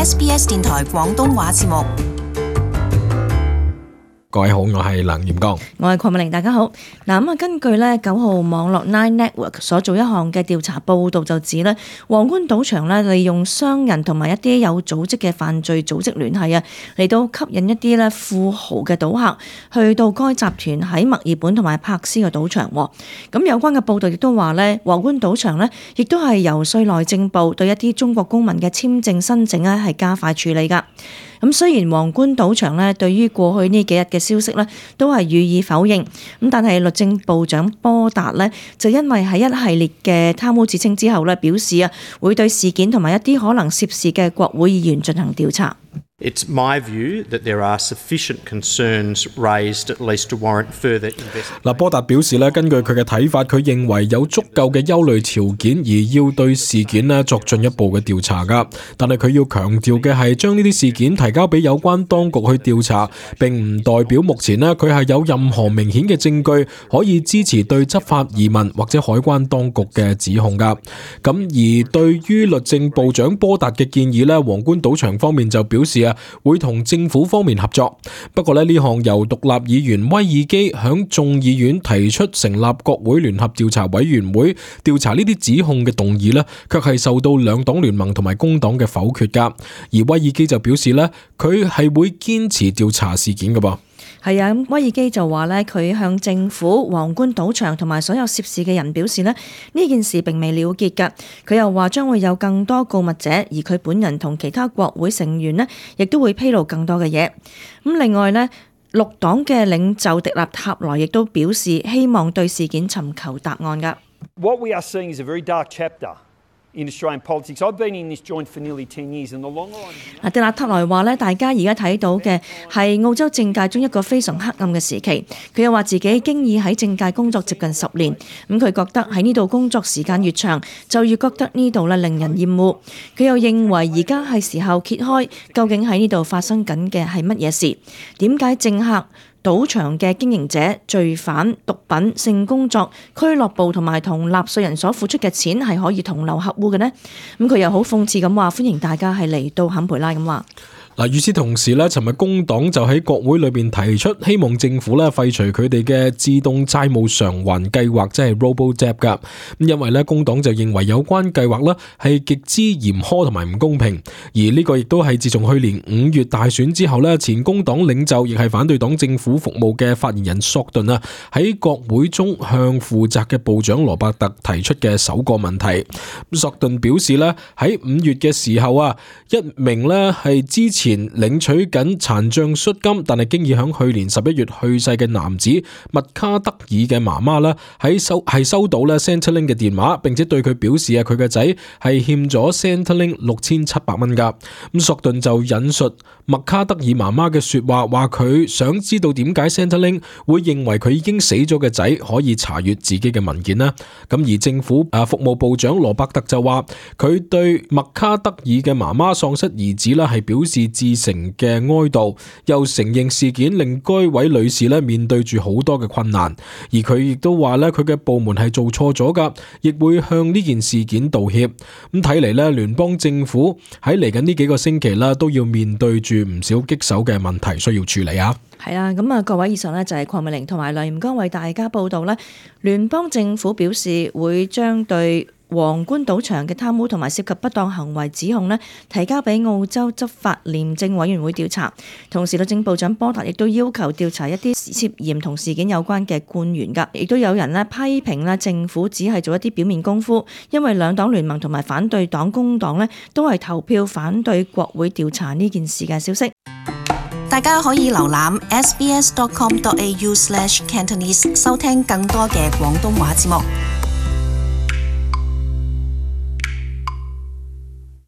SBS 電台廣東話節目。各位好，我係梁炎剛，我係鄺美玲，大家好。根據9號網絡 Nine Network 所做一項嘅調查報導就指咧，皇冠賭場利用商人同埋一啲有組織嘅犯罪組織聯繫嚟到吸引一啲富豪嘅賭客去到該集團喺墨爾本同埋珀斯嘅賭場。咁有關嘅報導亦都話皇冠賭場亦都係游說內政部對一啲中國公民嘅簽證申請係加快處理㗎。咁雖然皇冠賭場對於過去呢幾日嘅消息都係予以否認，咁但係律政部長波達就因為喺一系列嘅貪污指稱之後表示會對事件同埋一啲可能涉事嘅國會議員進行調查。It's my view that there are sufficient concerns raised at least to warrant further investigation. 波達表示根據佢嘅睇法，佢認為有足夠嘅憂慮條件，而要對事件作進一步嘅調查㗎。但係佢要強調嘅係，將呢啲事件提交俾有關當局去調查，並唔代表目前佢係有任何明顯嘅證據可以支持對執法移民或者海關當局嘅指控㗎。咁而對於律政部長波達嘅建議皇冠賭場方面就表示會同政府方面合作。不過呢項由獨立議員威爾基響眾議院提出成立國會聯合調查委員會調查呢啲指控嘅動議卻係受到兩黨聯盟同埋工黨嘅否決㗎。而威爾基就表示佢係會堅持調查事件㗎噃。係啊，威爾基就話佢向政府、皇冠賭場同埋所有涉事嘅人表示呢件事並未了結㗎。佢又話將會有更多告密者，而佢本人同其他國會成員亦都會披露更多嘅嘢。咁另外綠黨嘅領袖迪納塔萊亦都表示希望對事件尋求答案㗎。What we are seeing is a very dark chapter in Australian politics. I've been in this joint for nearly 10 years, and the longer I'm... 迪納塔萊話大家而家睇到嘅係澳洲政界中一個非常黑暗嘅時期。佢又話自己經已喺政界工作接近10年，咁佢覺得喺呢度工作時間越長，就越覺得呢度令人厭惡。佢又認為而家係時候揭開究竟喺呢度發生緊嘅係乜嘢事，點解政客、賭場嘅經營者、罪犯、毒品、性工作、俱樂部同埋同納稅人所付出嘅錢係可以同流合污嘅呢？咁佢又好諷刺咁話，歡迎大家係嚟到坎培拉咁話。與此同時尋日工黨就喺國會裏邊提出，希望政府廢除佢哋嘅自動債務償還計劃，即係 Robo-Debt 噶。因為工黨就認為有關計劃係極之嚴苛同埋唔公平，而呢個亦都係自從去年5月大選之後前工黨領袖亦係反對黨政府服務嘅發言人索頓喺國會中向負責嘅部長羅伯特提出嘅首個問題。索頓表示喺5月嘅時候一名係之前領取緊殘障恤金，但係經已響去年11月去世嘅男子麥卡德爾嘅媽媽係收到Centrelink 嘅電話，並且對佢表示佢嘅仔係欠咗 Centrelink 6700蚊噶。咁索頓就引述麥卡德爾媽媽嘅說話，話佢想知道點解 Centrelink 會認為佢已經死咗嘅仔可以查閱自己嘅文件啦。咁而政府服務部長羅伯特就話佢對麥卡德爾嘅媽媽喪失兒子係表示至誠嘅哀悼，又承認事件令該位女士面對住好多嘅困難，而佢亦都話佢嘅部門係做錯咗噶，亦會向呢件事件道歉。咁睇嚟聯邦政府喺嚟緊呢幾個星期都要面對住唔少棘手嘅問題需要處理啊。係啊，咁各位，以上就係鄺美玲同埋梁炎剛為大家報道聯邦政府表示會將對皇冠賭場嘅貪污同埋涉及不當行為指控提交俾澳洲執法廉政委員會調查。同時律政部長波達亦都要求調查一啲涉嫌同事件有關嘅官員㗎。亦都有人批評政府只係做一啲表面功夫，因為兩黨聯盟同埋反對黨工黨都係投票反對國會調查呢件事嘅消息。大家可以瀏覽 sbs.com.au/Cantonese 收聽更多嘅廣東話節目。